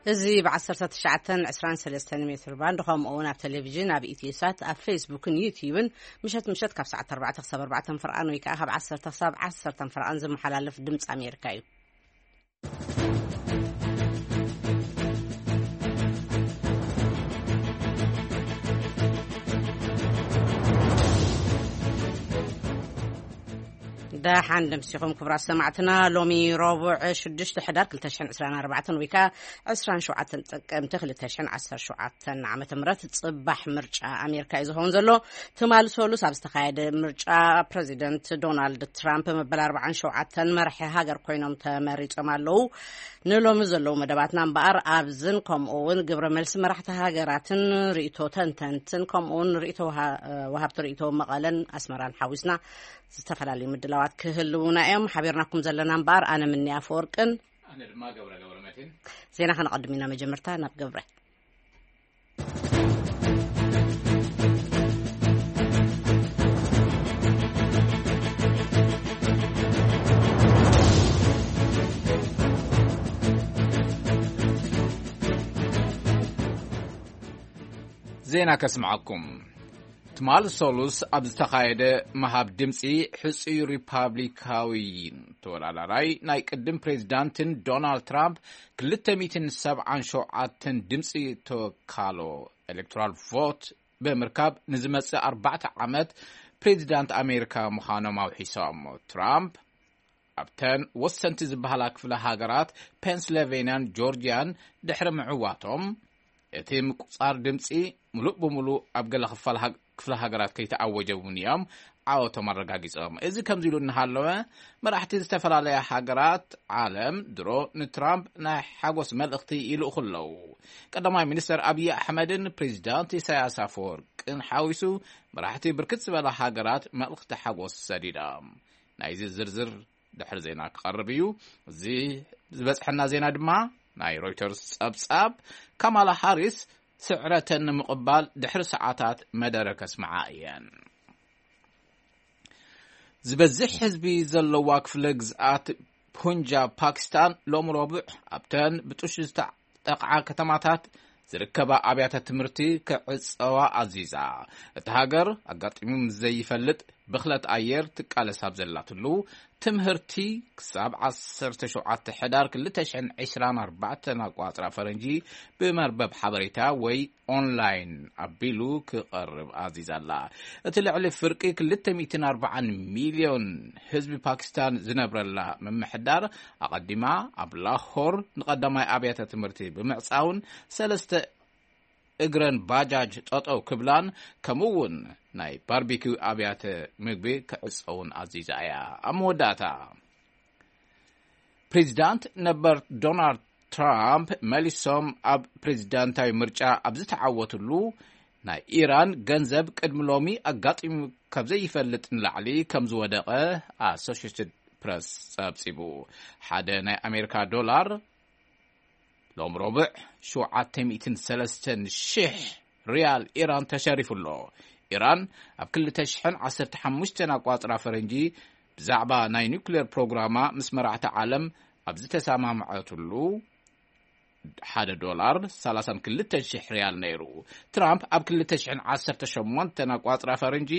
እዚ ብ ዓሰርተ ትሽዓተ ዕስራን ሰለስተን ሜትር ባንድ፣ ከምኡ እውን ኣብ ቴሌቪዥን፣ ኣብ ኢትዮሳት፣ ኣብ ፌስቡክን ዩትዩብን ምሸት ምሸት ካብ ሰዓት ኣርባዕተ ክሳብ ኣርባዕተ ፍርቓን ወይ ከዓ ካብ ዓሰርተ ክሳብ ዓሰርተ ፍርቓን ዝመሓላለፍ ድምፂ ኣሜሪካ እዩ። ደሓን ደምሲኹም ክቡራት ሰማዕትና። ሎሚ ረቡዕ ሽዱሽተ ሕዳር ክልተ ሽሕን ዕስራን ኣርባዕተን ወይ ከዓ ዕስራን ሸውዓተን ጥቅምቲ ክልተ ሽሕን ዓሰርተ ሸውዓተን ዓመተ ምህረት ጽባሕ ምርጫ ኣሜሪካ እዩ ዝኸውን ዘሎ። ትማሊ ሰሉስ ኣብ ዝተኻየደ ምርጫ ፕረዚደንት ዶናልድ ትራምፕ መበል ኣርባዓን ሸውዓተን መራሒ ሃገር ኮይኖም ተመሪጾም ኣለዉ። ንሎሚ ዘለዉ መደባትና እምበኣር ኣብዝን ከምኡ እውን ግብረ መልሲ መራሕቲ ሃገራትን ርእይቶ ተንተንትን ከምኡ እውን ርእይቶ ወሃ-፣ ወሃብቲ ርእይቶ መቐለን ኣስመራን ሓዊስና ዝተፈላለዩ ምድላዋት ክህልዉና እዮም። ሓቢርናኩም ዘለና እምበኣር ኣነ ምኒ ኣፈወርቅን ኣነ ድማ ገብረ ገብረ መድህን። ዜና ከነቐድም ኢና። መጀመርታ ናብ ገብረ። ዜና ከስምዓኩም። ትማል ሰሉስ ኣብ ዝተኻየደ ምሃብ ድምፂ፣ ሕፁይ ሪፓብሊካዊ ተወዳዳራይ ናይ ቅድም ፕሬዚዳንትን ዶናልድ ትራምፕ ክልተ ሚእትን ሰብዓን ሸውዓተን ድምፂ ተወካሎ ኤሌክቶራል ቮት ብምርካብ፣ ንዝመፅእ ኣርባዕተ ዓመት ፕሬዚዳንት ኣሜሪካ ምዃኖም ኣውሒሶም። ትራምፕ ኣብተን ወሰንቲ ዝበሃላ ክፍለ ሃገራት ፔንስልቬንያን ጆርጅያን ድሕሪ ምዕዋቶም፣ እቲ ምቁጻር ድምጺ ምሉእ ብምሉእ ኣብ ገለ ክፋል ሃግ-፣ ክፍለ ሃገራት ከይተኣወጀ እውን እዮም ዓወቶም ኣረጋጊጾም። እዚ ከምዚ ኢሉ እናሃለወ፣ መራሕቲ ዝተፈላለያ ሃገራት ዓለም ድሮ ንትራምፕ ናይ ሓጎስ መልእኽቲ ይልእኹ ኣለዉ። ቀዳማይ ሚኒስተር ኣብዪ ኣሕመድን ፕሬዚዳንት ኢሳያስ ኣፈወርቅን ሓዊሱ፣ መራሕቲ ብርክት ዝበላ ሃገራት መልእኽቲ ሓጎስ ሰዲዶም። ናይዚ ዝርዝር ድሕሪ ዜና ክቐርብ እዩ። እዚ ዝበጽሐና ዜና ድማ ናይ ሮይተርስ ጸብጻብ፣ ካማላ ሃሪስ ስዕረተን ንምቕባል ድሕሪ ሰዓታት መደረ ከስምዓ እየን። ዝበዝሕ ህዝቢ ዘለዋ ክፍለ ግዝኣት ፑንጃብ ፓኪስታን ሎም ረቡዕ ኣብተን ብጥሹ ዝተዓጠቕዓ ከተማታት ዝርከባ ኣብያተ ትምህርቲ ክዕጸዋ ኣዚዛ። እታ ሃገር ኣጋጢሙ ምስ ዘይፈልጥ ብኽለት ኣየር ትቃለስ ኣብ ዘላትሉ፣ ትምህርቲ ክሳብ ዓሰርተ ሸውዓተ ሕዳር ክልተ ሽሕን ዕስራን ኣርባዕተን ኣቋጽራ ፈረንጂ ብመርበብ ሓበሬታ ወይ ኦንላይን ኣቢሉ ክቐርብ ኣዚዛ ኣላ። እቲ ልዕሊ ፍርቂ ክልተ ሚእትን ኣርባዓን ሚልዮን ህዝቢ ፓኪስታን ዝነብረላ ምምሕዳር፣ ኣቐዲማ ኣብ ላሆር ንቐዳማይ ኣብያተ ትምህርቲ ብምዕጻውን፣ ሰለስተ እግረን ባጃጅ ጠጠው ክብላን፣ ከምኡ እውን ናይ ባርቢኪው ኣብያተ ምግቢ ክዕጸውን ኣዚዛ እያ። ኣብ መወዳእታ፣ ፕሬዚዳንት ነበር ዶናልድ ትራምፕ መሊሶም ኣብ ፕሬዚዳንታዊ ምርጫ ኣብ ዝተዓወትሉ፣ ናይ ኢራን ገንዘብ ቅድሚ ሎሚ ኣጋጢሙ ካብ ዘይፈልጥ ንላዕሊ ከም ዝወደቐ ኣሶሽየትድ ፕረስ ጸብጺቡ። ሓደ ናይ ኣሜሪካ ዶላር ሎም ረቡዕ ሸውዓተ ሚእትን ሰለስተን ሽሕ ሪያል ኢራን ተሸሪፉ ኣሎ። ኢራን ኣብ ክልተ ሽሕን ዓሰርተ ሓሙሽተን ኣቋጽራ ፈረንጂ ብዛዕባ ናይ ኒውክሌር ፕሮግራማ ምስ መራሕቲ ዓለም ኣብ ዝተሰማምዐትሉ፣ ሓደ ዶላር ሰላሳን ክልተን ሽሕ ሪያል ነይሩ። ትራምፕ ኣብ ክልተ ሽሕን ዓሰርተ ሸሞንተን ኣቋጽራ ፈረንጂ፣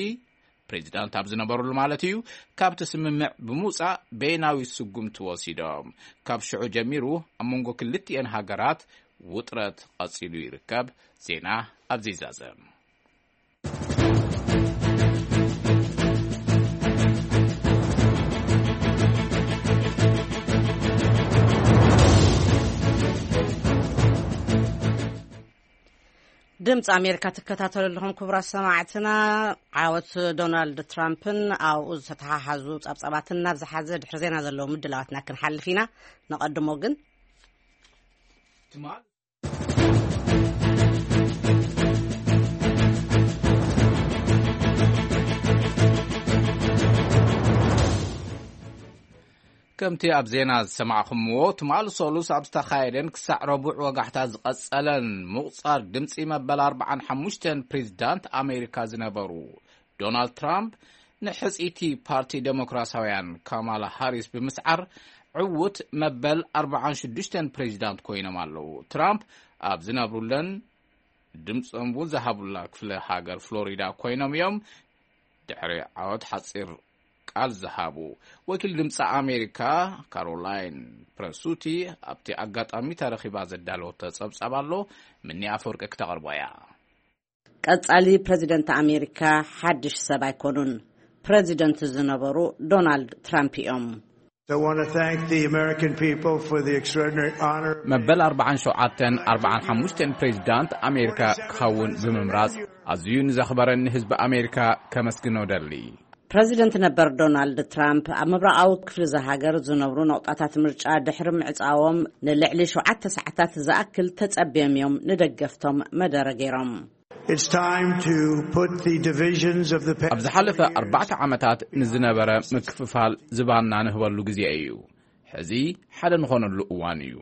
ፕሬዚዳንት ኣብ ዝነበሩሉ ማለት እዩ፣ ካብቲ ስምምዕ ብምውጻእ በይናዊ ስጉምቲ ወሲዶም። ካብ ሽዑ ጀሚሩ ኣብ መንጎ ክልቲኤን ሃገራት ውጥረት ቀጺሉ ይርከብ። ዜና ኣብዚ ይዛዘም። ድምፂ ኣሜሪካ ትከታተሉ ኣለኹም ክቡራት ሰማዕትና። ዓወት ዶናልድ ትራምፕን ኣብኡ ዝተተሓሓዙ ጸብጻባትን ናብ ዝሓዘ ድሕሪ ዜና ዘለዉ ምድላዋትና ክንሓልፍ ኢና። ንቐድሞ ግን ትማል ከምቲ ኣብ ዜና ዝሰማዕኹምዎ፣ ትማል ሰሉስ ኣብ ዝተኻየደን ክሳዕ ረቡዕ ወጋሕታ ዝቐጸለን ምቑጻር ድምጺ መበል ኣርባዓን ሓሙሽተን ፕሬዚዳንት ኣሜሪካ ዝነበሩ ዶናልድ ትራምፕ ንሕጽይቲ ፓርቲ ዴሞክራሲያውያን ካማላ ሃሪስ ብምስዓር ዕዉት መበል ኣርባዓን ሽዱሽተን ፕሬዚዳንት ኮይኖም ኣለዉ። ትራምፕ ኣብ ዝነብሩለን ድምፆም እውን ዝሃቡላ ክፍለ ሃገር ፍሎሪዳ ኮይኖም እዮም። ድሕሪ ዓወት ሓፂር ቃል ዝሃቡ ወኪል ድምፂ ኣሜሪካ ካሮላይን ፕረሱቲ ኣብቲ ኣጋጣሚ ተረኺባ ዘዳለወቶ ጸብጻብ ኣሎ። ምኒ ኣፈወርቂ ክተቕርቦ እያ። ቀጻሊ ፕረዚደንት ኣሜሪካ ሓድሽ ሰብ ኣይኮኑን። ፕረዚደንት ዝነበሩ ዶናልድ ትራምፕ እዮም። መበል ኣርባዓን ሸውዓተን ኣርባዓን ሓሙሽተን ፕሬዚዳንት ኣሜሪካ ክኸውን ብምምራጽ ኣዝዩ ንዘኽበረኒ ህዝቢ ኣሜሪካ ከመስግኖ ደሊ። ፕረዚደንት ነበር ዶናልድ ትራምፕ ኣብ ምብራቓዊ ክፍሊ እዛ ሃገር ዝነብሩ ነቑጣታት ምርጫ ድሕሪ ምዕጻዎም ንልዕሊ ሸውዓተ ሰዓታት ዝኣክል ተጸብዮም እዮም ንደገፍቶም መደረ ገይሮም። ኣብ ዝሓለፈ ኣርባዕተ ዓመታት ንዝነበረ ምክፍፋል ዝባና ንህበሉ ግዜ እዩ። ሕዚ ሓደ ንኾነሉ እዋን እዩ።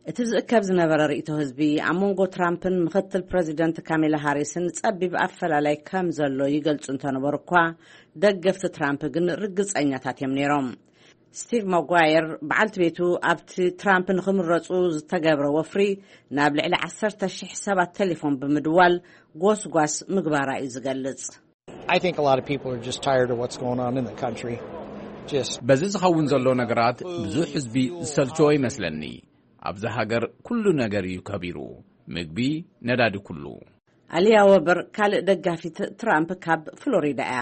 እቲ ዝእከብ ዝነበረ ርእይቶ ህዝቢ ኣብ መንጎ ትራምፕን ምኽትል ፕረዚደንት ካሜላ ሃሪስን ጸቢብ ኣፈላላይ ከም ዘሎ ይገልጹ እንተነበሩ እኳ፣ ደገፍቲ ትራምፕ ግን ርግጸኛታት እዮም ነይሮም። ስቲቭ ማጓየር በዓልቲ ቤቱ ኣብቲ ትራምፕ ንኽምረጹ ዝተገብረ ወፍሪ ናብ ልዕሊ ዓሰርተ ሽሕ ሰባት ቴሌፎን ብምድዋል ጎስጓስ ምግባራ እዩ ዝገልጽ። I think a lot of people are just tired of what's going on in the country. Just በዚ ዝኸውን ዘሎ ነገራት ብዙሕ ህዝቢ ዝሰልቸዎ ይመስለኒ። ኣብዚ ሃገር ኩሉ ነገር እዩ ከቢሩ፣ ምግቢ፣ ነዳዲ፣ ኩሉ። ኣሊያ ወበር ካልእ ደጋፊት ትራምፕ ካብ ፍሎሪዳ እያ።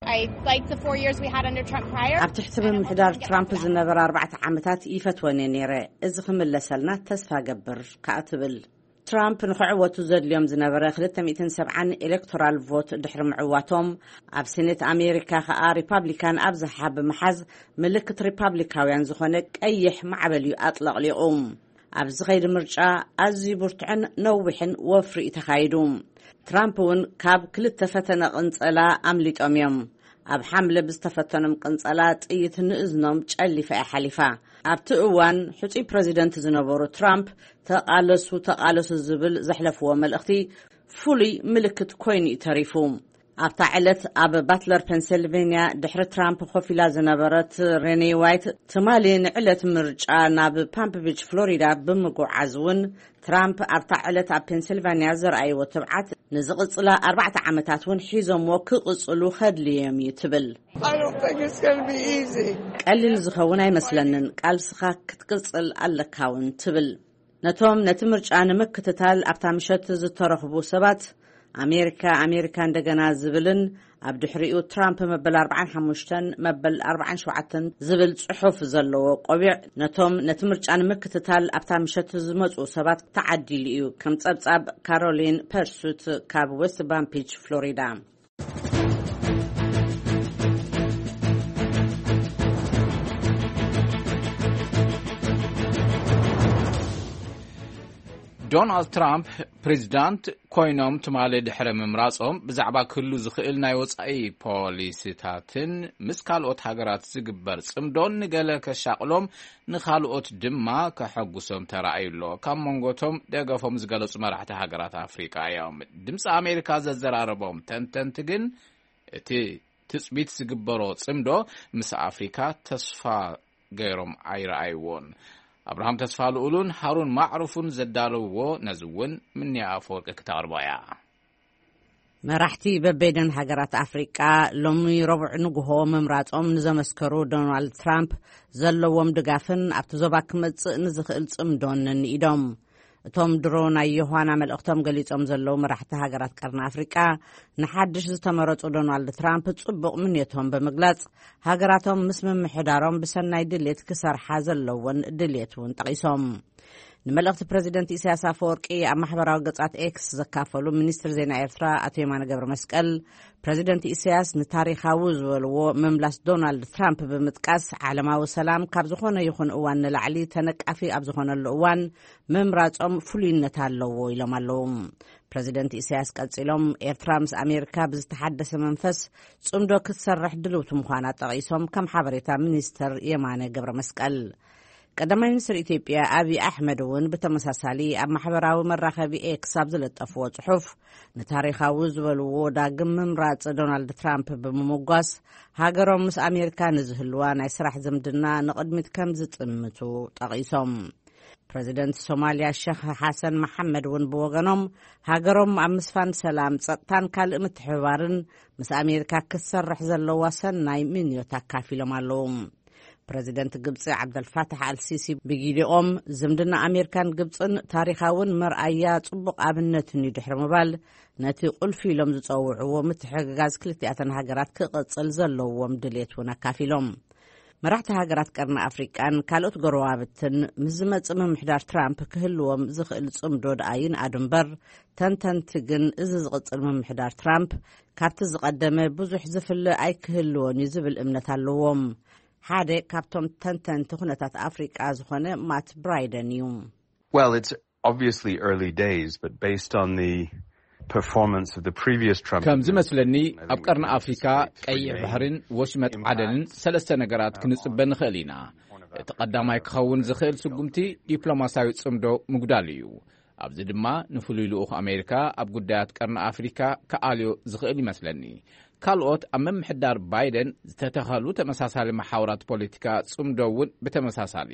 I liked the four years we had under Trump prior. ኣብ ትሕቲ ምምሕዳር ትራምፕ ዝነበረ ኣርባዕተ ዓመታት ይፈትወን እየ ነይረ። እዚ ክምለሰልና ተስፋ ገብር ከኣ ትብል። ትራምፕ ንኽዕወቱ ዘድልዮም ዝነበረ ክልተ ሚእትን ሰብዓን ኤሌክቶራል ቮት ድሕሪ ምዕዋቶም፣ ኣብ ሴኔት ኣሜሪካ ከኣ ሪፓብሊካን ኣብዝሓ ብምሓዝ ምልክት ሪፓብሊካውያን ዝኾነ ቀይሕ ማዕበል እዩ ኣጥለቕሊቑ። ኣብዚ ኸይዲ ምርጫ ኣዝዩ ብርቱዕን ነዊሕን ወፍሪ እዩ ተኻይዱ። ትራምፕ እውን ካብ ክልተ ፈተነ ቅንጸላ ኣምሊጦም እዮም። ኣብ ሓምለ ብዝተፈተኖም ቅንጸላ ጥይት ንእዝኖም ጨሊፋ እያ ሓሊፋ። ኣብቲ እዋን ሕጹይ ፕረዚደንት ዝነበሩ ትራምፕ ተቓለሱ ተቓለሱ ዝብል ዘሕለፍዎ መልእኽቲ ፍሉይ ምልክት ኮይኑ እዩ ተሪፉ። ኣብታ ዕለት ኣብ ባትለር ፔንሲልቬንያ ድሕሪ ትራምፕ ኮፍ ኢላ ዝነበረት ሬኔ ዋይት ትማሊ ንዕለት ምርጫ ናብ ፓምፕ ቢች ፍሎሪዳ ብምጉዓዝ እውን ትራምፕ ኣብታ ዕለት ኣብ ፔንሲልቫንያ ዘርኣይዎ ትብዓት ንዝቕጽላ ኣርባዕተ ዓመታት እውን ሒዞምዎ ክቕጽሉ ከድልዮም እዩ ትብል። I don't think it's going to be easy. ቀሊል ዝኸውን ኣይመስለንን፣ ቃልስኻ ክትቅጽል ኣለካ እውን ትብል። ነቶም ነቲ ምርጫ ንምክትታል ኣብታ ምሸት ዝተረኽቡ ሰባት ኣሜሪካ ኣሜሪካ እንደገና ዝብልን ኣብ ድሕሪኡ ትራምፕ መበል ኣርባዓን ሓሙሽተን መበል ኣርባዓን ሸውዓተን ዝብል ጽሑፍ ዘለዎ ቆቢዕ ነቶም ነቲ ምርጫ ንምክትታል ኣብታ ምሸት ዝመጹ ሰባት ተዓዲሉ እዩ። ከም ጸብጻብ ካሮሊን ፐርሱት ካብ ዌስት ባምፒች ፍሎሪዳ። ዶናልድ ትራምፕ ፕሬዚዳንት ኮይኖም ትማሊ ድሕሪ ምምራጾም ብዛዕባ ክህሉ ዝኽእል ናይ ወጻኢ ፖሊሲታትን ምስ ካልኦት ሃገራት ዝግበር ጽምዶን ንገለ ከሻቕሎም ንኻልኦት ድማ ከሐጉሶም ተራእዩ ኣሎ። ካብ መንጎቶም ደገፎም ዝገለጹ መራሕቲ ሃገራት ኣፍሪቃ እዮም። ድምፂ ኣሜሪካ ዘዘራረቦም ተንተንቲ ግን እቲ ትጽቢት ዝግበሮ ጽምዶ ምስ ኣፍሪካ ተስፋ ገይሮም ኣይረኣይዎን። ኣብርሃም ተስፋ ልኡሉን ሃሩን ማዕሩፉን ዘዳለውዎ ነዚ እውን ምንያ ኣፈወርቂ ክተቕርቦ እያ። መራሕቲ በበይነን ሃገራት ኣፍሪቃ ሎሚ ረቡዕ ንግሆ ምምራጾም ንዘመስከሩ ዶናልድ ትራምፕ ዘለዎም ድጋፍን ኣብቲ ዞባ ክመጽእ ንዝኽእል ጽምዶን ንኢዶም። እቶም ድሮ ናይ ዮሃና መልእኽቶም ገሊጾም ዘለዉ መራሕቲ ሃገራት ቀርኒ ኣፍሪቃ ንሓድሽ ዝተመረጹ ዶናልድ ትራምፕ ጽቡቕ ምንየቶም ብምግላጽ ሃገራቶም ምስ ምምሕዳሮም ብሰናይ ድሌት ክሰርሓ ዘለወን ድሌት እውን ጠቒሶም። ንመልእኽቲ ፕረዚደንት ኢሳያስ ኣፈወርቂ ኣብ ማሕበራዊ ገጻት ኤክስ ዘካፈሉ ሚኒስትር ዜና ኤርትራ ኣቶ የማነ ገብረ መስቀል፣ ፕረዚደንት ኢሳያስ ንታሪኻዊ ዝበልዎ ምምላስ ዶናልድ ትራምፕ ብምጥቃስ ዓለማዊ ሰላም ካብ ዝኾነ ይኹን እዋን ንላዕሊ ተነቃፊ ኣብ ዝኾነሉ እዋን ምምራጾም ፍሉይነት ኣለዎ ኢሎም ኣለዉ። ፕረዚደንት ኢሳያስ ቀጺሎም ኤርትራ ምስ ኣሜሪካ ብዝተሓደሰ መንፈስ ጽምዶ ክትሰርሕ ድልውቲ ምዃና ጠቒሶም ከም ሓበሬታ ሚኒስተር የማነ ገብረ መስቀል ቀዳማይ ሚኒስትር ኢትዮጵያ ኣብይ ኣሕመድ እውን ብተመሳሳሊ ኣብ ማሕበራዊ መራኸቢ ኤክስ ኣብ ዝለጠፍዎ ጽሑፍ፣ ንታሪኻዊ ዝበልዎ ዳግም ምምራጽ ዶናልድ ትራምፕ ብምምጓስ፣ ሃገሮም ምስ ኣሜሪካ ንዝህልዋ ናይ ስራሕ ዝምድና ንቕድሚት ከም ዝጥምቱ ጠቒሶም። ፕረዚደንት ሶማልያ ሸኽ ሓሰን መሓመድ እውን ብወገኖም፣ ሃገሮም ኣብ ምስፋን ሰላም፣ ጸጥታን ካልእ ምትሕብባርን ምስ ኣሜሪካ ክትሰርሕ ዘለዋ ሰናይ ምንዮት ኣካፊሎም ኣለዉ። ፕረዚደንት ግብጺ ዓብደልፋታሕ ኣልሲሲ ብጊዲኦም፣ ዝምድና ኣሜሪካን ግብጽን ታሪኻውን መርኣያ ጽቡቕ ኣብነትን እዩ ድሕሪ ምባል፣ ነቲ ቁልፊ ኢሎም ዝጸውዕዎ ምትሕግጋዝ ክልቲኣተን ሃገራት ክቕጽል ዘለዎም ድሌት እውን ኣካፊሎም። መራሕቲ ሃገራት ቀርኒ ኣፍሪቃን ካልኦት ጎረባብትን ምስ ዝመጽእ ምምሕዳር ትራምፕ ክህልዎም ዝኽእል ጽምዶ ደኣ ይንኣዱ እምበር፣ ተንተንቲ ግን እዚ ዝቕጽል ምምሕዳር ትራምፕ ካብቲ ዝቐደመ ብዙሕ ዝፍለ ኣይክህልዎን እዩ ዝብል እምነት ኣለዎም። ሓደ ካብቶም ተንተንቲ ኩነታት ኣፍሪቃ ዝኾነ ማት ብራይደን እዩ። Well, it's obviously early days, but based on the performance of the previous Trump ከም ዝመስለኒ፣ ኣብ ቀርኒ ኣፍሪካ ቀይሕ ባሕርን ወሽመጥ ዓደንን ሰለስተ ነገራት ክንጽበ ንኽእል ኢና። እቲ ቀዳማይ ክኸውን ዝኽእል ስጉምቲ ዲፕሎማስያዊ ጽምዶ ምጉዳል እዩ። ኣብዚ ድማ ንፍሉይ ልኡኽ ኣሜሪካ ኣብ ጉዳያት ቀርኒ ኣፍሪካ ክኣልዮ ዝኽእል ይመስለኒ። ካልኦት ኣብ ምምሕዳር ባይደን ዝተተኸሉ ተመሳሳሊ መሓውራት ፖለቲካ ጽምዶ እውን ብተመሳሳሊ።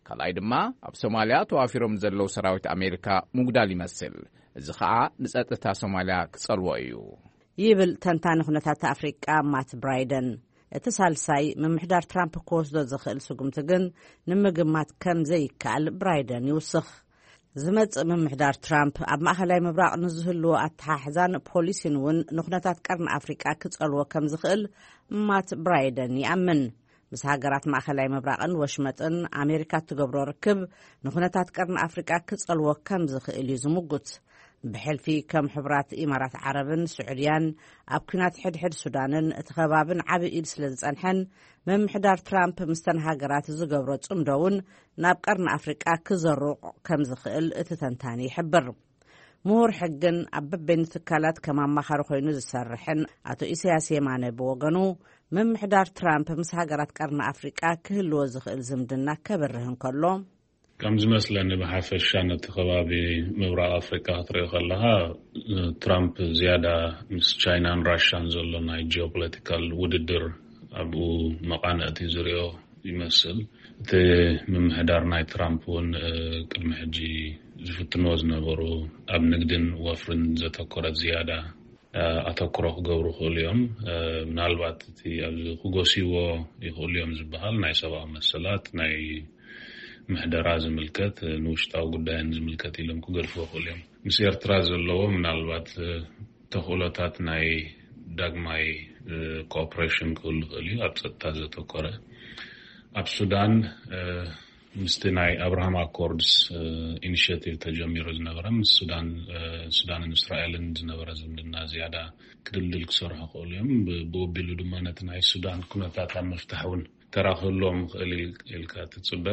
ካልኣይ ድማ ኣብ ሶማልያ ተዋፊሮም ዘለዉ ሰራዊት ኣሜሪካ ምጉዳል ይመስል። እዚ ኸኣ ንጸጥታ ሶማልያ ክጸልዎ እዩ። ይብል ተንታኒ ኩነታት ኣፍሪቃ ማት ብራይደን። እቲ ሳልሳይ ምምሕዳር ትራምፕ ክወስዶ ዝኽእል ስጉምቲ ግን ንምግማት ከም ዘይከኣል ብራይደን ይውስኽ። ዝመጽእ ምምሕዳር ትራምፕ ኣብ ማእኸላይ ምብራቕ ንዝህልዎ ኣተሓሕዛን ፖሊሲን እውን ንኩነታት ቀርኒ ኣፍሪቃ ክጸልዎ ከም ዝኽእል ማት ብራይደን ይኣምን። ምስ ሃገራት ማእኸላይ ምብራቕን ወሽመጥን ኣሜሪካ እትገብሮ ርክብ ንኩነታት ቀርኒ ኣፍሪቃ ክጸልዎ ከም ዝኽእል እዩ ዝምጉት። ብሕልፊ ከም ሕቡራት ኢማራት ዓረብን ስዑድያን ኣብ ኲናት ሕድሕድ ሱዳንን እቲ ከባብን ዓቢ ኢድ ስለ ዝጸንሐን፣ ምምሕዳር ትራምፕ ምስተን ሃገራት ዝገብሮ ጽምዶ እውን ናብ ቀርኒ ኣፍሪቃ ክዘሩቕ ከም ዝኽእል እቲ ተንታኒ ይሕብር። ምሁር ሕግን ኣብ በበይኑ ትካላት ከም ኣማኻሪ ኮይኑ ዝሰርሕን ኣቶ ኢሳያስ የማነ ብወገኑ፣ ምምሕዳር ትራምፕ ምስ ሃገራት ቀርኒ ኣፍሪቃ ክህልዎ ዝኽእል ዝምድና ከብርህ እንከሎ፣ ከም ዝመስለኒ ብሓፈሻ ነቲ ከባቢ ምብራቕ ኣፍሪቃ ክትሪኦ ከለኻ፣ ትራምፕ ዝያዳ ምስ ቻይናን ራሻን ዘሎ ናይ ጂኦፖለቲካል ውድድር ኣብኡ መቓንዕቲ ዝሪኦ ይመስል። እቲ ምምሕዳር ናይ ትራምፕ እውን፣ እ፣ ቅድሚ ሕጂ ዝፍትንዎ ዝነበሩ ኣብ ንግድን ወፍርን ዘተኮረት ዝያዳ፣ እ፣ ኣተኩሮ ክገብሩ ይኽእሉ እዮም። እ፣ ምናልባት እቲ ኣብዚ ክጎስይዎ ይኽእሉ እዮም ዝበሃል ናይ ሰብኣዊ መሰላት፣ ናይ ምሕደራ ዝምልከት፣ እ፣ ንውሽጣዊ ጉዳይን ዝምልከት ኢሎም ክገድፍዎ ይኽእሉ እዮም። ምስ ኤርትራ ዘለዎ ምናልባት፣ እ፣ ተኽእሎታት ናይ ዳግማይ፣ እ፣ ኮኦፕሬሽን ክህሉ ይኽእል እዩ፣ ኣብ ጸጥታ ዘተኮረ። ኣብ ሱዳን፣ እ፣ ምስቲ ናይ ኣብርሃም ኣኮርድስ፣ እ፣ ኢኒሽቲቭ ተጀሚሩ ዝነበረ፣ ምስ ሱዳን፣ እ፣ ሱዳንን እስራኤልን ዝነበረ ዝምድና ዝያዳ ክድልድል ክሰርሑ ይኽእሉ እዮም። ብ-፣ ብኡ ኣቢሉ ድማ ነቲ ናይ ሱዳን ኩነታት ኣብ ምፍታሕ እውን ተራ ክህልዎም ይኽእል ኢል-፣ ኢልካ ትጽበ።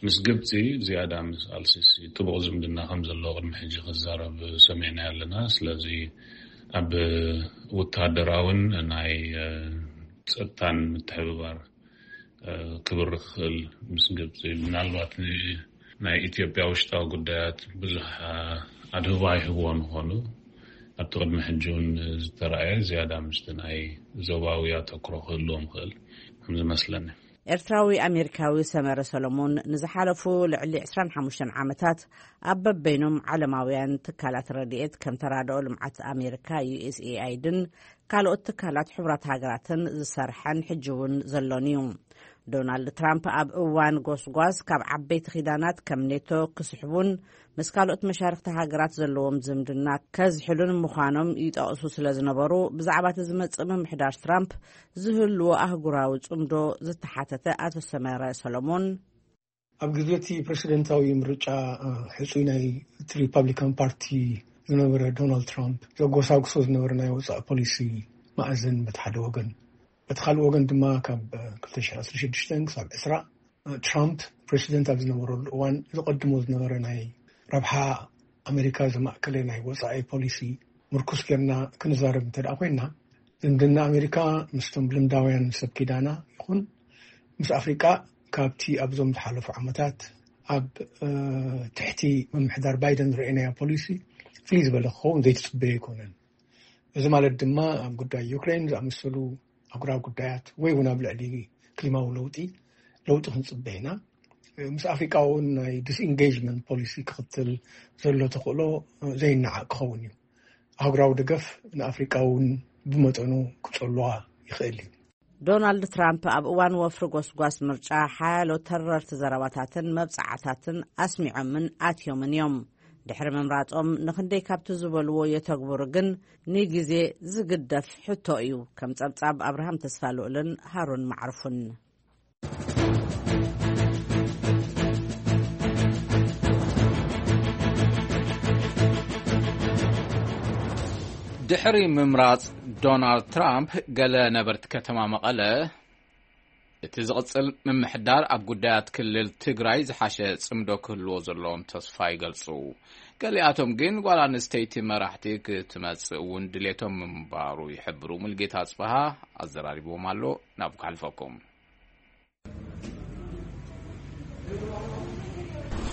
ምስ ግብጺ ዝያዳ ምስ ኣልሲሲ ጥቡቕ ዝምድና ከም ዘለዎ ቅድሚ ሕጂ ክዛረብ ሰሚዕና ኣለና። ስለዚ ኣብ ወተሃደራውን ናይ፣ እ፣ ጸጥታን ምትሕብባር፣ እ፣ ክብርኽ ክኽእል ምስ ግብጺ፣ ምናልባት ን-፣ ናይ ኢትዮጵያ ውሽጣዊ ጉዳያት ብዙሕ፣ እ፣ ኣድህቦ ኣይህብዎ ንኾኑ፣ ኣብቲ ቅድሚ ሕጂ እውን ዝተረኣየ ዝያዳ ምስቲ ናይ ዞባዊ ኣተኩሮ ክህልዎም ይኽእል ከም ዝመስለኒ። ኤርትራዊ ኣሜሪካዊ ሰመረ ሰሎሞን ንዝሓለፉ ልዕሊ ዕስራን ሓሙሽተን ዓመታት ኣብ በበይኖም ዓለማውያን ትካላት ረድኤት ከም ተራድኦ ልምዓት ኣሜሪካ፣ ዩ ኤስ ኤ ኣይ ዲን ካልኦት ትካላት ሕቡራት ሃገራትን ዝሰርሐን ሕጂ እውን ዘሎን እዩ። ዶናልድ ትራምፕ ኣብ እዋን ጎስጓስ ካብ ዓበይቲ ኪዳናት ከም ኔቶ ክስሕቡን ምስ ካልኦት መሻርክቲ ሃገራት ዘለዎም ዝምድና ከዝሕሉን ምዃኖም ይጠቕሱ ስለ ዝነበሩ፣ ብዛዕባ እቲ ዝመጽእ ምምሕዳር ትራምፕ ዝህልዎ ኣህጉራዊ ጽምዶ ዝተሓተተ ኣቶ ሰመረ ሰሎሞን፣ ኣብ ግዜ እቲ ፕረሲደንታዊ ምርጫ፣ እ፣ ሕጹይ ናይ እቲ ሪፓብሊካን ፓርቲ ዝነበረ ዶናልድ ትራምፕ ዘጎሳጉሶ ዝነበረ ናይ ወጻኢ ፖሊሲ መኣዝን በቲ ሓደ ወገን፣ በቲ ካልእ ወገን ድማ ካብ፣ እ፣ ክልተ ሽሕን ዕስራን ሽዱሽተን ክሳብ ዕስራ፣ እ፣ ትራምፕ ፕረሲደንት ኣብ ዝነበረሉ እዋን ዘቐድሞ ዝነበረ ናይ ረብሓ ኣሜሪካ ዘማእከለ ናይ ወጻኢ ፖሊሲ ምርኩስ ጌርና ክንዛረብ እንተ ደኣ ኮይንና፣ ዝምድና ኣሜሪካ ምስቶም ልምዳውያን ሰብ ኪዳና ይኹን ምስ ኣፍሪቃ ካብቲ ኣብዞም ዝሓለፉ ዓመታት ኣብ ትሕቲ ምምሕዳር ባይደን ዝረኣናዮ ፖሊሲ ፍልይ ዝበለ ክኸውን ዘይትፅበዮ ኣይኮነን። እዚ ማለት ድማ ኣብ ጉዳይ ዩክሬን ዝኣመሰሉ ኣጉራዊ ጉዳያት ወይ እውን ኣብ ልዕሊ ክሊማዊ ለውጢ ለውጢ ክንፅበ ኢና። ምስ ኣፍሪቃ እውን ናይ ዲስኢንጌጅመንት ፖሊሲ ክኽተል ዘሎ ተኽእሎ ዘይነዓቕ ክኸውን እዩ። ኣህጉራዊ ደገፍ ንኣፍሪቃ እውን ብመጠኑ ክጸልዋ ይኽእል እዩ። ዶናልድ ትራምፕ ኣብ እዋን ወፍሪ ጎስጓስ ምርጫ ሓያሎ ተረርቲ ዘረባታትን መብጻዓታትን ኣስሚዖምን ኣትዮምን እዮም። ድሕሪ ምምራጾም ንኽንደይ ካብቲ ዝበልዎ የተግብሩ ግን ንግዜ ዝግደፍ ሕቶ እዩ። ከም ጸብጻብ ኣብርሃም ተስፋ ልኡልን ሃሩን ማዕርፉን። ድሕሪ ምምራጽ ዶናልድ ትራምፕ፣ ገለ ነበርቲ ከተማ መቐለ፣ እቲ ዝቕጽል ምምሕዳር ኣብ ጉዳያት ክልል ትግራይ ዝሓሸ ጽምዶ ክህልዎ ዘለዎም ተስፋ ይገልጹ። ገሊኣቶም ግን ጓል ኣንስተይቲ መራሕቲ ክትመጽእ እውን ድሌቶም ምንባሩ ይሕብሩ። ሙልጌታ ኣጽበሃ ኣዘራሪብዎም ኣሎ። ናብ ክሓልፈኩም።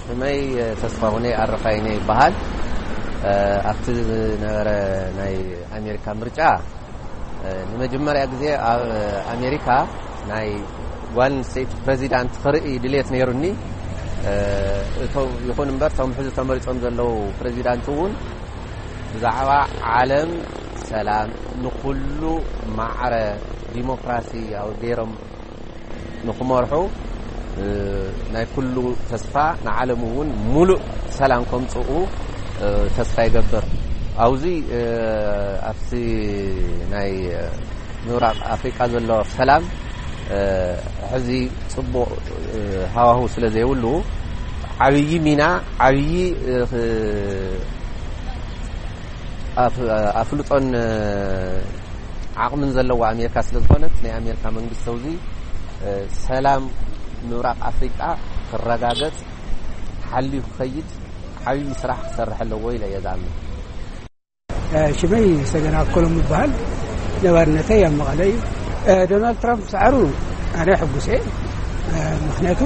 ሽመይ ተስፋሁነይ ኣረፋይነ ይበሃል። ኣብቲ ዝነበረ ናይ ኣሜሪካ ምርጫ ንመጀመርያ ግዜ ኣብ ኣሜሪካ ናይ ጓል ኣንስተይቲ ፕሬዚዳንት ክርኢ ድሌት ነይሩኒ። እቶም ይኹን እምበር እቶም ሕዚ ተመሪጾም ዘለዉ ፕሬዚዳንት እውን ብዛዕባ ዓለም ሰላም፣ ንኹሉ ማዕረ ዲሞክራሲ ገይሮም ንክመርሑ ናይ ኩሉ ተስፋ፣ ንዓለም እውን ሙሉእ ሰላም ከምፅኡ ተስፋ ይገብር። ኣብዚ ኣብቲ ናይ ምብራቕ ኣፍሪቃ ዘሎ ሰላም ሕዚ ፅቡቕ ሃዋሁ ስለ ዘይብሉ ዓብዪ ሚና፣ ዓብዪ ኣፍልጦን ዓቕምን ዘለዋ ኣሜሪካ ስለ ዝኾነት፣ ናይ ኣሜሪካ መንግስቲ ኣብዚ ሰላም ምብራቕ ኣፍሪቃ ክረጋገጽ ሓልዩ ክኸይድ ዓብዪ ስራሕ ክሰርሕ ኣለዎ ኢለ እየ ዝኣምን። ሽመይ ሰገን ኣከሎም ይበሃል። ነባርነተይ ኣብ መቐለ እዩ። ዶናልድ ትራምፕ ሰዓሩ ኣነ ሕጉስ እየ። ምክንያቱ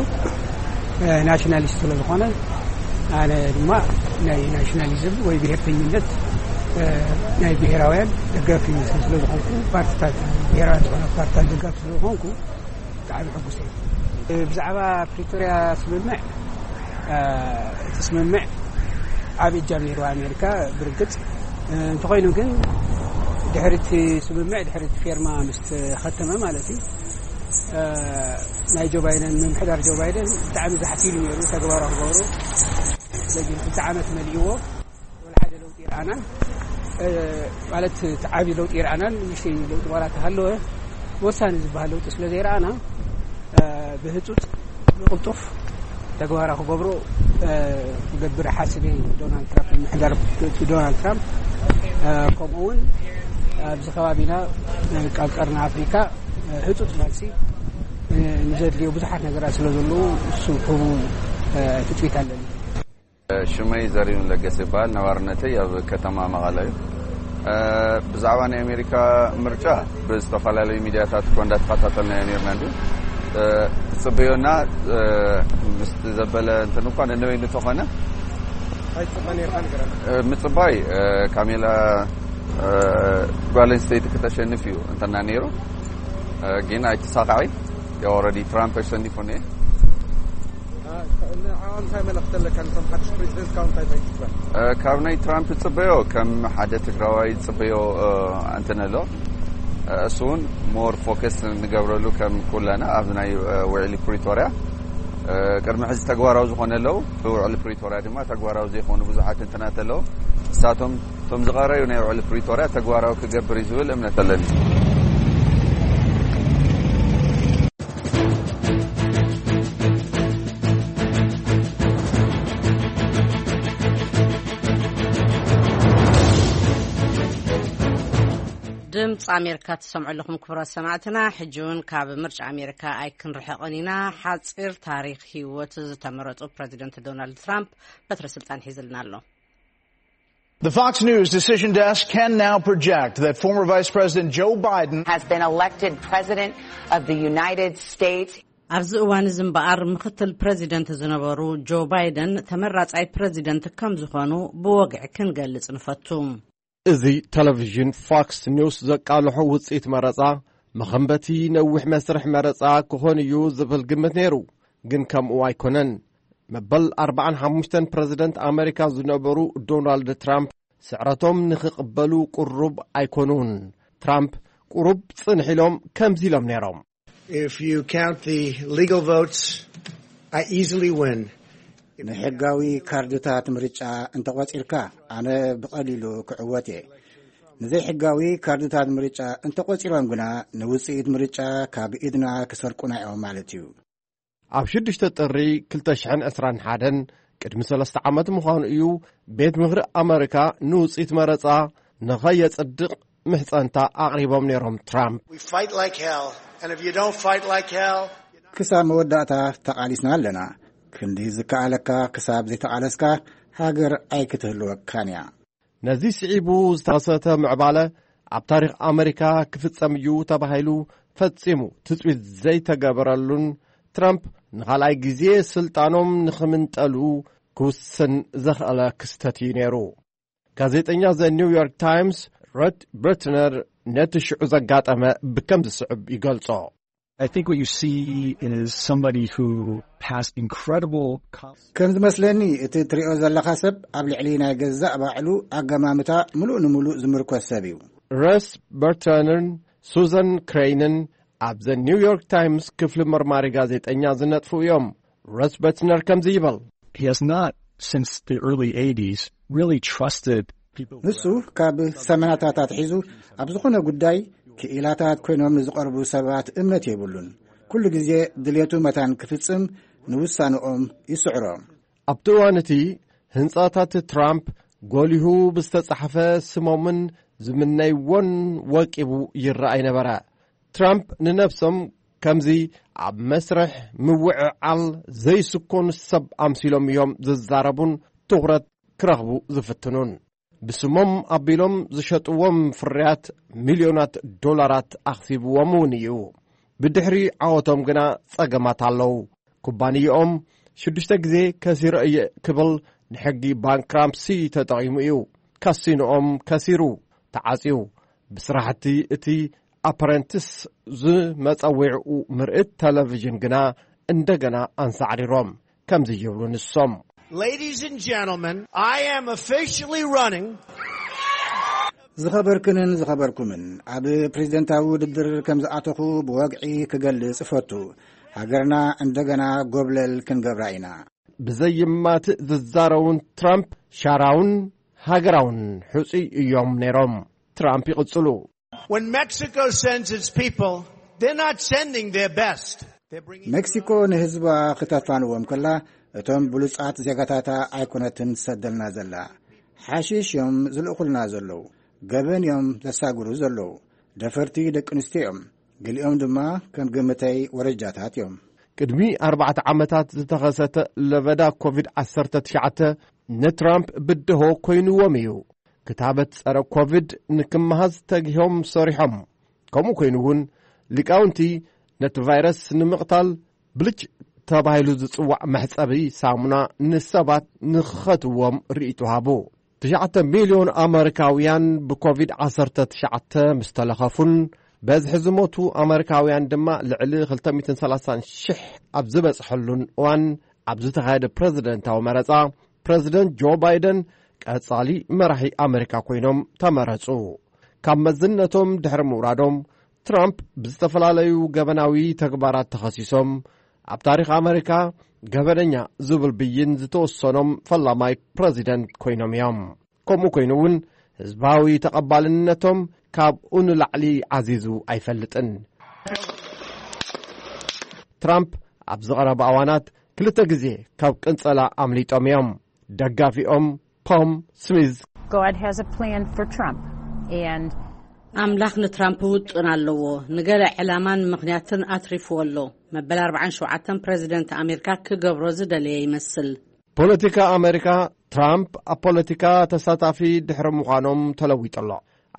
ናሽናሊስት ስለ ዝኾነ፣ ኣነ ድማ ናይ ናሽናሊዝም ወይ ብሄርተኝነት ናይ ብሄራውያን ደጋፊ ስለ ዝኾንኩ፣ ፓርቲታት ብሄራውያን ዝኾነ ፓርቲታት ደጋፊ ስለ ዝኾንኩ ብጣዕሚ ሕጉስ እየ። ብዛዕባ ፕሪቶርያ ስምምዕ፣ እቲ ስምምዕ ዓብ እጃም ነይሩ ኣሜሪካ ብርግፅ። እንተኾይኑ ግን ድሕሪ እቲ ስምምዕ፣ ድሕሪ እቲ ፌርማ ምስ ተኸተመ ማለት እዩ፣ ናይ ጆ ባይደን፣ ምምሕዳር ጆ ባይደን ብጣዕሚ ዛሕቲሉ ነይሩ ተግባራዊ ክገብሮ። ስለዚ ክልተ ዓመት መሊእዎ፣ ወላ ሓደ ለውጢ ይረኣናን፣ ማለት እቲ ዓብዪ ለውጢ ይረኣናን ንእሽተይ ለውጢ ዋላ ተሃለወ፣ ወሳኒ ዝበሃል ለውጢ ስለ ዘይረኣና፣ ብህፁፅ ብቕልጡፍ ተግባራዊ ክገብሮ ክገብር ሓስብ እየ። ዶናልድ ትራምፕ፣ ምምሕዳር ዶናልድ ትራምፕ፣ ከምኡ እውን ኣብዚ ከባቢና ኣብ ቀርኒ ኣፍሪካ ህፁፅ መልሲ ንዘድልዮ ብዙሓት ነገራት ስለ ዘለዉ እሱ ክህቡ ትፅቢት ኣለኒ። ሽመይ ዘሪሁን ለገሰ ይበሃል። ነባርነተይ ኣብ ከተማ መቐለ እዩ። ብዛዕባ ናይ ኣሜሪካ ምርጫ ብዝተፈላለዩ ሚድያታት እኮ እንዳተኸታተልናዮ ነርና። እንዲ ትፅበዮና ምስቲ ዘበለ እንትን እኳ ነንበይኑ ተኾነ ምፅባይ ካሜላ ጓል ኣንስተይቲ ክተሸንፍ እዩ እንተና ነይሩ፣ ግን ኣይተሳካዒ። ኦረዲ ትራምፕ ኣሸኒፉ ነ ንዓኦም እንታይ መልእኽቲ ኣለካ? ነቶም ሓድሽ ፕሬዚደንት ካብ እንታይ እንታይ ትፅበ? ካብ ናይ ትራምፕ ዝፅበዮ ከም ሓደ ትግራዋይ ዝፅበዮ እንትን ኣሎ። እሱ እውን ሞር ፎከስ ንገብረሉ ከም ኩለና ኣብ ናይ ውዕሊ ፕሪቶርያ ቅድሚ ሕዚ ተግባራዊ ዝኾነ ኣለዉ። ብውዕሊ ፕሪቶርያ ድማ ተግባራዊ ዘይኮኑ ብዙሓት እንትናት ኣለዉ። ንሳቶም እቶም ዝቐረዩ ናይ ውዕሊ ፕሪቶርያ ተግባራዊ ክገብር እዩ ዝብል እምነት ኣለኒ። ድምፂ ኣሜሪካ ትሰምዑ ኣለኹም ክቡራት ሰማዕትና። ሕጂ እውን ካብ ምርጫ ኣሜሪካ ኣይክንርሕቕን ኢና። ሓፂር ታሪክ ህይወት ዝተመረፁ ፕረዚደንት ዶናልድ ትራምፕ በትረ ስልጣን ሒዝልና ኣሎ። The Fox News Decision Desk can now project that former Vice President Joe Biden has been elected President of the United States. ኣብዚ እዋን እዚ እምበኣር፣ ምኽትል ፕረዚደንት ዝነበሩ ጆ ባይደን ተመራጻይ ፕረዚደንት ከም ዝኾኑ ብወግዒ ክንገልጽ ንፈቱ። እዚ ቴሌቪዥን ፎክስ ኒውስ ዘቃልሖ ውጽኢት መረጻ፣ መኸንበቲ ነዊሕ መስርሕ መረጻ ክኾን እዩ ዝብል ግምት ነይሩ፣ ግን ከምኡ ኣይኮነን። መበል ኣርባዓን ሓሙሽተን ፕረዚደንት ኣመሪካ ዝነበሩ ዶናልድ ትራምፕ፣ ስዕረቶም ንኽቕበሉ ቅሩብ ኣይኮኑን። ትራምፕ ቅሩብ ጽንሕ ኢሎም ከምዚ ኢሎም ነይሮም። If you count the legal votes, I easily win. ንሕጋዊ ካርድታት ምርጫ እንተቖጺርካ፣ ኣነ ብቐሊሉ ክዕወት እየ። ንዘይሕጋዊ ካርድታት ምርጫ እንተቖጺሮም ግና፣ ንውጽኢት ምርጫ ካብ ኢድና ክሰርቁና እዮም ማለት እዩ። ኣብ ሽዱሽተ ጥሪ ክልተ ሽሕን ዕስራን ሓደን፣ ቅድሚ ሰለስተ ዓመት ምዃኑ እዩ፣ ቤት ምኽሪ ኣመሪካ ንውጽኢት መረጻ ንኸየጽድቕ ምሕጸንታ ኣቕሪቦም ነይሮም ትራምፕ። We fight like hell, and if you don't fight like hell, ክሳብ መወዳእታ ተቓሊስና ኣለና። ክንዲ ዝከኣለካ ክሳብ ዘይተቓለስካ፣ ሃገር ኣይክትህልወካን እያ። ነዚ ስዒቡ ዝተኸሰተ ምዕባለ፣ ኣብ ታሪኽ ኣመሪካ ክፍጸም እዩ ተባሂሉ ፈጺሙ ትጽቢት ዘይተገበረሉን፣ ትራምፕ ንኻልኣይ ግዜ ስልጣኖም ንኽምንጠሉ ክውስን ዘኽኣለ ክስተት እዩ ነይሩ። ጋዜጠኛ ዘ ኒውዮርክ ታይምስ ሮት በርትነር ነቲ ሽዑ ዘጋጠመ ብከም ዝስዕብ ይገልጾ። I think what you see is somebody who has incredible com- ከም ዝመስለኒ፣ እቲ ትሪኦ ዘለኻ ሰብ ኣብ ልዕሊ ናይ ገዛእ ባዕሉ ኣገማምታ ምሉእ ንምሉእ ዝምርኮስ ሰብ እዩ። ረስ በርትነርን ሱዘን ክሬይንን ኣብ ዘ ኒውዮርክ ታይምስ ክፍሊ መርማሪ ጋዜጠኛ ዝነጥፉ እዮም። ረስ በርትነር ከምዚ ይብል። He has not, since the early eighties, really trusted people who ንሱ ካብ ሰማንያታት ኣትሒዙ ኣብ ዝኾነ ጉዳይ ክኢላታት ኮይኖም ንዝቐርቡ ሰባት እምነት የብሉን። ኩሉ ግዜ ድሌቱ መታን ክፍጽም ንውሳንኦም ይስዕሮ። ኣብቲ እዋን እቲ ህንጻታት ትራምፕ ጎሊሁ ብዝተጻሕፈ ስሞምን ዝምነይዎን ወቂቡ ይረኣይ ነበረ። ትራምፕ ንነብሶም ከምዚ ኣብ መስርሕ ምውዕዓል ዘይስኮኑ ሰብ ኣምሲሎም እዮም ዝዛረቡን ትኹረት ክረኽቡ ዝፍትኑን። ብስሞም ኣቢሎም ዝሸጥዎም ፍርያት ሚልዮናት ዶላራት ኣኽሲብዎም እውን እዩ። ብድሕሪ ዓወቶም ግና ጸገማት ኣለዉ። ኩባንያኦም ሽዱሽተ ግዜ ከሲረ እየ ክብል ንሕጊ ባንክራፕሲ ተጠቒሙ እዩ። ካሲኖኦም ከሲሩ፣ ተዓጽዩ። ብስራሕቲ እቲ ኣፕረንቲስ ዝመጸዊዕኡ ምርኢት ቴሌቪዥን ግና እንደገና ኣንሳዕሪሮም። ከምዚ ይብሉ ንሶም። Ladies and gentlemen, I am officially running. ዝኸበርክንን ዝኸበርኩምን፣ ኣብ ፕሬዝደንታዊ ውድድር ከም ዝኣተኹ ብወግዒ ክገልጽ እፈቱ። ሃገርና እንደገና ጎብለል ክንገብራ ኢና። ብዘይማትእ ዝዛረቡን ትራምፕ ሻራውን ሃገራውን ሕጹይ እዮም ነይሮም። ትራምፕ ይቕጽሉ። When Mexico sends its people, they're not sending their best. They're bringing ሜክሲኮ ንህዝባ ክተፋንዎም ከላ፣ እቶም ብሉጻት ዜጋታታ ኣይኮነትን ትሰደልና ዘላ። ሓሽሽ እዮም ዝልእኹልና ዘለዉ። ገበን እዮም ዘሳግሩ ዘለዉ። ደፈርቲ ደቂ ኣንስትዮ እዮም። ገሊኦም ድማ ከም ግምተይ ወረጃታት እዮም። ቅድሚ ኣርባዕተ ዓመታት ዝተኸሰተ ለበዳ ኮቪድ ዓሰርተ ትሽዓተ ንትራምፕ ብድሆ ኮይንዎም እዩ። ክታበት ጸረ ኮቪድ ንክመሃዝ ተጊሆም ሰሪሖም። ከምኡ ኮይኑ እውን ሊቃውንቲ ነቲ ቫይረስ ንምቕታል ብልጭ ተባሂሉ ዝጽዋዕ መሕጸቢ ሳሙና ንሰባት ንኽኸትዎም ርእይቶ ሃቡ። ትሽዓተ ሚልዮን ኣመሪካውያን ብኮቪድ ዓሰርተ ትሽዓተ ምስ ተለኸፉን በዝሒ ዝሞቱ ኣመሪካውያን ድማ ልዕሊ ክልተ ሚእትን ሰላሳን ሽሕ ኣብ ዝበጽሐሉን እዋን፣ ኣብ ዝተኻየደ ፕረዚደንታዊ መረጻ፣ ፕረዚደንት ጆ ባይደን ቀጻሊ መራሒ ኣመሪካ ኮይኖም ተመረጹ። ካብ መዝነቶም ድሕሪ ምውራዶም፣ ትራምፕ ብዝተፈላለዩ ገበናዊ ተግባራት ተኸሲሶም፣ ኣብ ታሪኽ ኣመሪካ ገበነኛ ዝብል ብይን ዝተወሰኖም ፈላማይ ፕረዚደንት ኮይኖም እዮም። ከምኡ ኮይኑ እውን፣ ህዝባዊ ተቐባልነቶም ካብኡ ንላዕሊ ዓዚዙ ኣይፈልጥን። ትራምፕ ኣብ ዝቐረባ እዋናት ክልተ ግዜ ካብ ቅንጸላ ኣምሊጦም እዮም። ደጋፊኦም ቶም ስሚዝ፣ God has a plan for Trump, and ኣምላኽ ንትራምፕ ውጥን ኣለዎ። ንገለ ዕላማን ምኽንያትን ኣትሪፍዎ ኣሎ። መበል ኣርባዓን ሸውዓተን ፕረዚደንት ኣሜሪካ ክገብሮ ዝደለየ ይመስል። ፖለቲካ ኣሜሪካ፣ ትራምፕ ኣብ ፖለቲካ ተሳታፊ ድሕሪ ምዃኖም ተለዊጡ ኣሎ።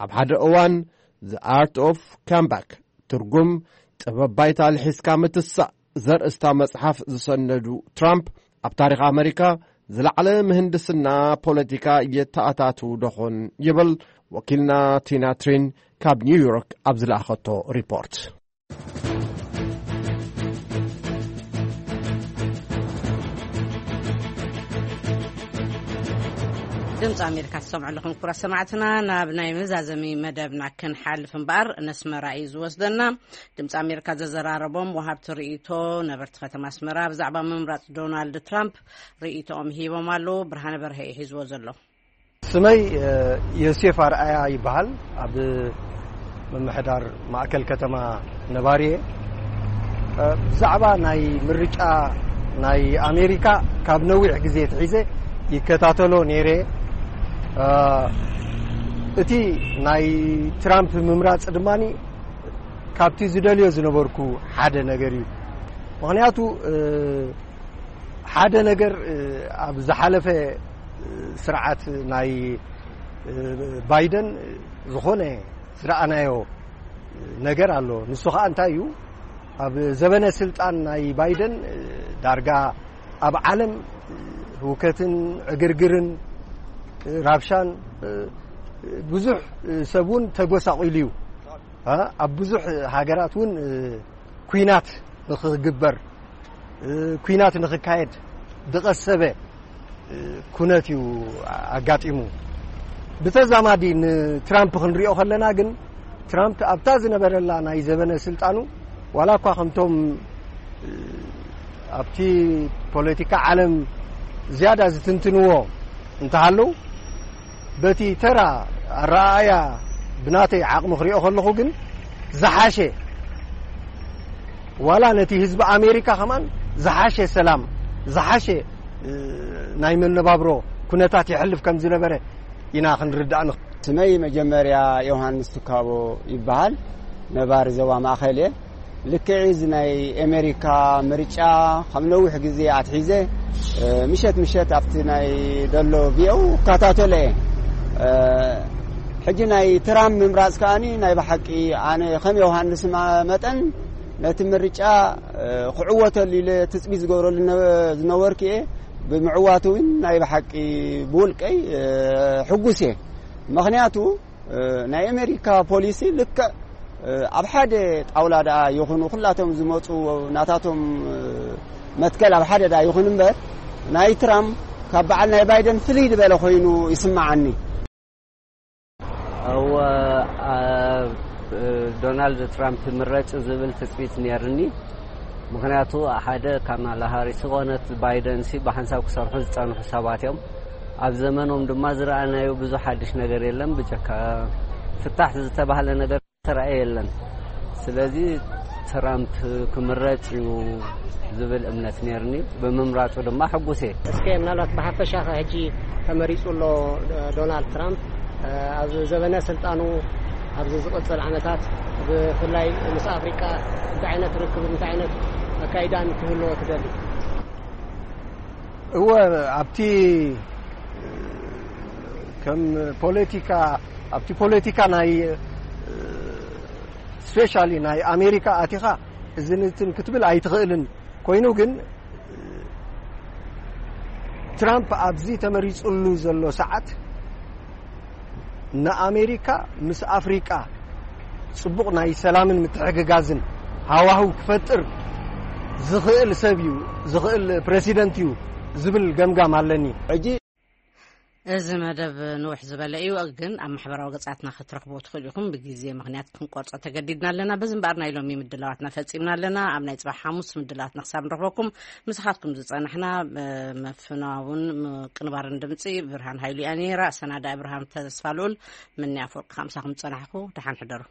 ኣብ ሓደ እዋን፣ The Art of Comeback፣ ትርጉም ጥበብ ባይታ ልሒስካ ምትሳእ ዘርእስታ መጽሓፍ ዝሰነዱ ትራምፕ፣ ኣብ ታሪኽ ኣመሪካ ዝለዓለ ምህንድስና ፖለቲካ የተኣታቱ ደኾን ይብል ወኪልና ቲና ትሪን ካብ ኒውዮርክ ኣብ ዝለኣኸቶ ሪፖርት። ድምፂ ኣሜሪካ ትሰምዑ ኣለኹም ክቡራት ሰማዕትና። ናብ ናይ መዛዘሚ መደብና ክንሓልፍ እምበኣር፣ ነስመራ እዩ ዝወስደና። ድምፂ ኣሜሪካ ዘዘራረቦም ወሃብቲ ርእይቶ፣ ነበርቲ ከተማ ኣስመራ፣ ብዛዕባ ምምራፅ ዶናልድ ትራምፕ ርእይቶኦም ሂቦም ኣለዉ። ብርሃነ በርሀ እዩ ሒዝዎ ዘሎ። ስመይ ዮሴፍ ኣርኣያ ይበሃል። ኣብ ምምሕዳር ማእከል ከተማ ነባሪ እየ። ብዛዕባ ናይ ምርጫ ናይ ኣሜሪካ ካብ ነዊሕ ግዜ ትሒዘ ይከታተሎ ነይረ። እቲ ናይ ትራምፕ ምምራፅ ድማ ካብቲ ዝደልዮ ዝነበርኩ ሓደ ነገር እዩ። ምክንያቱ ሓደ ነገር ኣብ ዝሓለፈ ስርዓት ናይ ባይደን ዝኾነ ዝረኣናዮ ነገር ኣሎ። ንሱ ከዓ እንታይ እዩ? ኣብ ዘበነ ስልጣን ናይ ባይደን ዳርጋ ኣብ ዓለም ህውከትን ዕግርግርን ራብሻን ብዙሕ ሰብ እውን ተጎሳቂሉ እዩ። ኣብ ብዙሕ ሃገራት እውን ኲናት ንኽግበር፣ ኲናት ንኽካየድ ዝቐሰበ ኩነት እዩ ኣጋጢሙ። ብተዛማዲ ንትራምፕ ክንሪኦ ከለና ግን፣ ትራምፕ ኣብታ ዝነበረላ ናይ ዘበነ ስልጣኑ፣ ዋላ እኳ ከምቶም ኣብቲ ፖለቲካ ዓለም ዝያዳ ዝትንትንዎ እንተሃለዉ፣ በቲ ተራ ኣረኣእያ ብናተይ ዓቕሚ ክሪኦ ከለኹ ግን ዝሓሸ፣ ዋላ ነቲ ህዝቢ ኣሜሪካ ከማን ዝሓሸ ሰላም፣ ዝሓሸ ናይ መነባብሮ ኩነታት የሕልፍ ከም ዝነበረ ኢና ክንርዳእ ንኽእል። ስመይ መጀመርያ ዮሃንስ ትካቦ ይበሃል። ነባሪ ዞባ ማእኸል እየ። ልክዕ እዚ ናይ ኣሜሪካ ምርጫ ካብ ነዊሕ ግዜ ኣትሒዘ ምሸት ምሸት ኣብቲ ናይ ደሎ ቪኦኡ እከታተሎ እየ። ሕጂ ናይ ትራምፕ ምምራፅ ከኣኒ ናይ ብሓቂ ኣነ ከም ዮሃንስ መጠን ነቲ ምርጫ ክዕወተሉ ኢለ ትፅቢት ዝገብረሉ ዝነበርኩ እየ። ብምዕዋቱ እውን ናይ ብሓቂ ብውልቀይ ሕጉስ እየ። ምኽንያቱ ናይ ኣሜሪካ ፖሊሲ ልክዕ ኣብ ሓደ ጣውላ ደኣ ይኹኑ፣ ኩላቶም ዝመፁ ናታቶም መትከል ኣብ ሓደ ደኣ ይኹን እምበር፣ ናይ ትራምፕ ካብ በዓል ናይ ባይደን ፍልይ ዝበለ ኮይኑ ይስምዓኒ። እወ፣ ዶናልድ ትራምፕ ምረጭ ዝብል ትፅቢት ነይርኒ። ምኽንያቱ ሓደ ካማላ ሃሪስ ዝኾነት ባይደንሲ ብሓንሳብ ክሰርሑ ዝፀንሑ ሰባት እዮም። ኣብ ዘመኖም ድማ ዝረኣናዮ ብዙሕ ሓድሽ ነገር የለን፣ ብጀካ ፍታሕ ዝተባህለ ነገር ተራእየ የለን። ስለዚ ትራምፕ ክምረጽ እዩ ዝብል እምነት ነይርኒ። ብምምራጹ ድማ ሕጉስ እየ። እስከ ምናልባት ብሓፈሻ ከ ሕጂ ተመሪጹ ኣሎ ዶናልድ ትራምፕ፣ ኣብ ዘበነ ስልጣኑ ኣብዚ ዝቕጽል ዓመታት ብፍላይ ምስ ኣፍሪቃ እንታይ ዓይነት ርክብ እንታይ ዓይነት ኣካይዳን ክህልዎ ትደሊ? እወ፣ ኣብቲ ከም ፖለቲካ ኣብቲ ፖለቲካ ናይ ስፔሻሊ ናይ ኣሜሪካ ኣቲኻ እዝንትን ክትብል ኣይትኽእልን። ኮይኑ ግን ትራምፕ ኣብዚ ተመሪፅሉ ዘሎ ሰዓት ንኣሜሪካ ምስ ኣፍሪቃ ፅቡቕ ናይ ሰላምን ምትሕግጋዝን ሃዋህው ክፈጥር ዝኽእል ሰብ እዩ፣ ዝኽእል ፕረሲደንት እዩ ዝብል ገምጋም ኣለኒ። ሕጂ እዚ መደብ ንውሕ ዝበለ እዩ፣ ግን ኣብ ማሕበራዊ ገጻትና ክትረኽብዎ ትኽእሉ ኢኹም። ብግዜ ምኽንያት ክንቆርጾ ተገዲድና ኣለና። በዚ እምበኣር ናይ ሎሚ ምድላዋትና ፈጺምና ኣለና። ኣብ ናይ ጽባሕ ሓሙስ ምድላዋትና ክሳብ ንረኽበኩም ምሳኻትኩም ዝጸናሕና፣ እ፣ ምፍናውን ምቅንባርን ድምጺ ብርሃን ሃይሉ እያ ነይራ። ኣሰናዳኢ ብርሃን ተስፋ ልኡል፣ ምንያ ኣፈወርቂ፣ ካብ ምሳኹም ዝጸናሕኩ። ደሓን ሕደሩ።